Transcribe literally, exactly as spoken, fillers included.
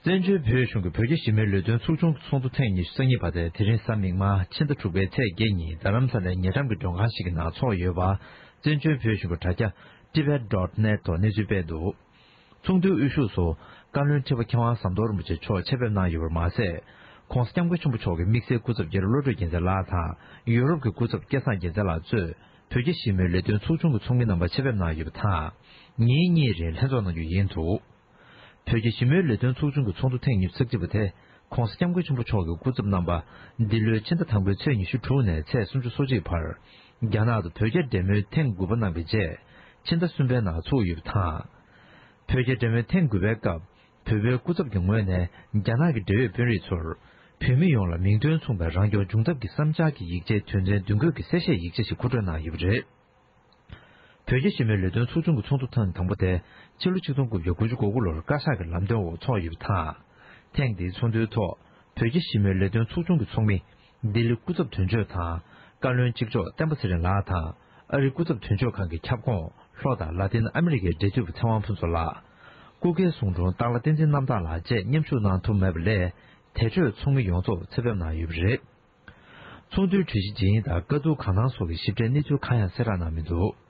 བཙན་བྱོལ་བོད་གཞུང་གི་བོད་རྒྱ་ཞི་མོལ་ལས་དོན་ཚོགས་ཆུང་གི་ཚོགས་འདུ་ཐེངས་ཉི་ཤུ་རྩ་གཉིས་པ་དེ་དེ་རིང་གཟའ་མིག་དམར་ཕྱི་ཟླ་དྲུག་པའི་ཚེས་བརྒྱད་ཉིན་རྡ་རམ་ས་ལའི་ཉེ་འགྲམ་གྱི་མགྲོན་ཁང་ཞིག་གི་ནང་འཚོགས་ཡོད་པ། བཙན་བྱོལ་བོད་གཞུང་གི་དྲ་རྒྱ་tibet dot net ཐོག་གནས་ཚུལ་སྤེལ་འདུག། ཚོགས་འདུའི་དབུ་བཞུགས་སུ་བཀའ་བློན་ཁྲི་པ་མཁས་དབང་ཟམ་གདོང་རིན་པོ་ཆེ་མཆོག་ཆེད་ཕེབས་གནང་ཡོད་པར་མ་ཟད། ྋགོང་ས་ྋསྐྱབས་མགོན་ཆེན་པོ་མཆོག་གི་དམིགས་བསལ་སྐུ་ཚབ་རྒྱ་རི་བློ་གྲོས་རྒྱལ་མཚན་ལགས་དང་ཡུ་རོབ་ཀྱི་སྐུ་ཚབ་སྐལ་བཟང་རྒྱལ་མཚན་ལགས་གཙོས་བོད་རྒྱ་ཞི་མོལ་ལས་དོན་ཚོགས་ཆུང་གི་ཚོགས་མི་རྣམ་པ་ཆེད་ཕེབས་གནང་ཡོད་པ་དང་། ཉིན་གཉིས་རིང་ལྷན་ཚོགས་གནང་རྒྱུ་ཡིན་འདུག། བོད་རྒྱ་ཞི་མོལ་ལས་དོན་ཚོགས་ཆུང་གི་ཚོགས་འདུ་ཐེངས་ཉི་ཤུ་རྩ་གཅིག་པ་དེ་ྋགོང་ས་ྋསྐྱབས་མགོན་ཆེན་པོ་མཆོག་གི་སྐུ་ཚབ་རྣམ་པ་འདི་ལོའི་ཕྱི་ཟླ་དང་པོའི་ཚེས་ཉི་ཤུ་དྲུག་ནས་ཚེས་སུམ་ཅུ་སོ་གཅིག་བར་རྒྱ་ནག་ཏུ་བོད་རྒྱ་འབྲེལ་མོལ་ཐེངས་དགུ་པ་གནང་བའི་རྗེས་ཕྱི་ཟླ་གསུམ་པའི་ནང་ཚུགས་ཡོད་པ་དང་། བོད་རྒྱ་འབྲེལ་མོལ་ཐེངས་དགུ་པའི་སྐབས་བོད་པའི་སྐུ་ཚབ་ཀྱི་ངོས་ནས་རྒྱ་ནག་གི་འབྲེལ་ཡོད་དཔོན་རིགས་ཚོར་བོད་མི་ཡོངས་ལ་མིང་དོན་མཚུངས་པའི་རང་སྐྱོང་འབྱུང་ཐབས་ཀྱི་བསམ་འཆར་གྱི་ཡིག་ཆའི་དོན་ཚན་བདུན་བཀོད་ཀྱི་གསལ་བཤད་ཡིག་ཆ་ཞིག་མཁོ་སྤྲོད་གནང་ཡོད་པ་རེད། བོད་རྒྱ་ཞི་མོལ་ལས་དོན་ཚོགས་ཆུང་གི་ཚོགས་འདུ་ཐེངས་དང་པོ་དེ་ཕྱི་ལོ་ཆིག་སྟོང་དགུ་བརྒྱ་དགུ་བཅུ་གོ་དགུ་ལོར་བཀའ་ཤག་གི་ལམ་སྟོན་འོག་འཚོགས་ཡོད་པ་དང་། ཐེངས་འདིའི་ཚོགས་འདུའི་ཐོག་བོད་རྒྱ་ཞི་མོལ་ལས་དོན་ཚོགས་ཆུང་གི་ཚོགས་མི་ལྡི་ལི་སྐུ་ཚབ་དོན་གཅོད་དང་བཀའ་བློན་གཅིག་ལྕོགས་བསྟན་པ་ཚེ་རིང་ལགས་དང་ཨ་རི་སྐུ་ཚབ་དོན་གཅོད་ཁང་གི་ཁྱབ་ཁོངས་ལྷོ་དང་ལ་ཏིན་ཨ་མི་རི་ཀའི་འབྲེལ་མཐུད་པ་ཚེ་དབང་ཕུན་ཚོགས་ལགས། སྐུ་སྒེར་གསུང་སྒྲུང་སྟག་ལྷ་བསྟན་འཛིན་རྣམ་དག་ལགས་བཅས་མཉམ་ཞུགས་གནང་ཐུབ་མེད་པ་ལས་དེ་འཕྲོས་ཚོགས་མི་ཡོངས་རྫོགས་ཆེད་ཕེབས་གནང་ཡོད་པ་རེད། ཚོགས་འདུའི་གྲོས་གཞི་ཇི་ཡིན་དང་དཀའ་སྡུག་གང་གནང་སོགས་ཀྱི་ཞིབ་ཕྲའི་གནས་ཚུལ་གང་ཡང་གསལ་བསྒྲགས་གནང་མི་འདུག།